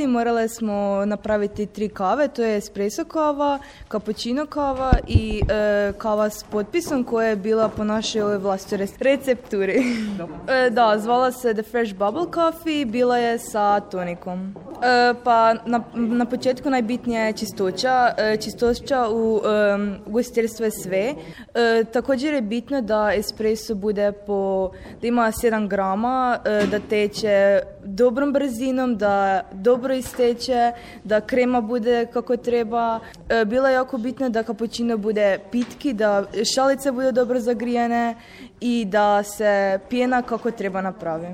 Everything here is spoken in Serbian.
Morale smo napraviti 3 kave, to je espresso kava, cappuccino kava i kava s potpisom koja je bila po našoj vlastitoj recepturi. Da, zvala se The Fresh Bubble Coffee, bila je sa tonikom. Pa na početku najbitnija je čistoća. Čistoća u ugostiteljstvu je sve. Također je bitno da espresso bude da ima 7 grama, da teče dobrom brzinom, da dobro isteče, da krema bude kako treba. Bilo je jako bitno da cappuccino bude pitki, da šalice budu dobro zagrijane i da se pjena kako treba napravi.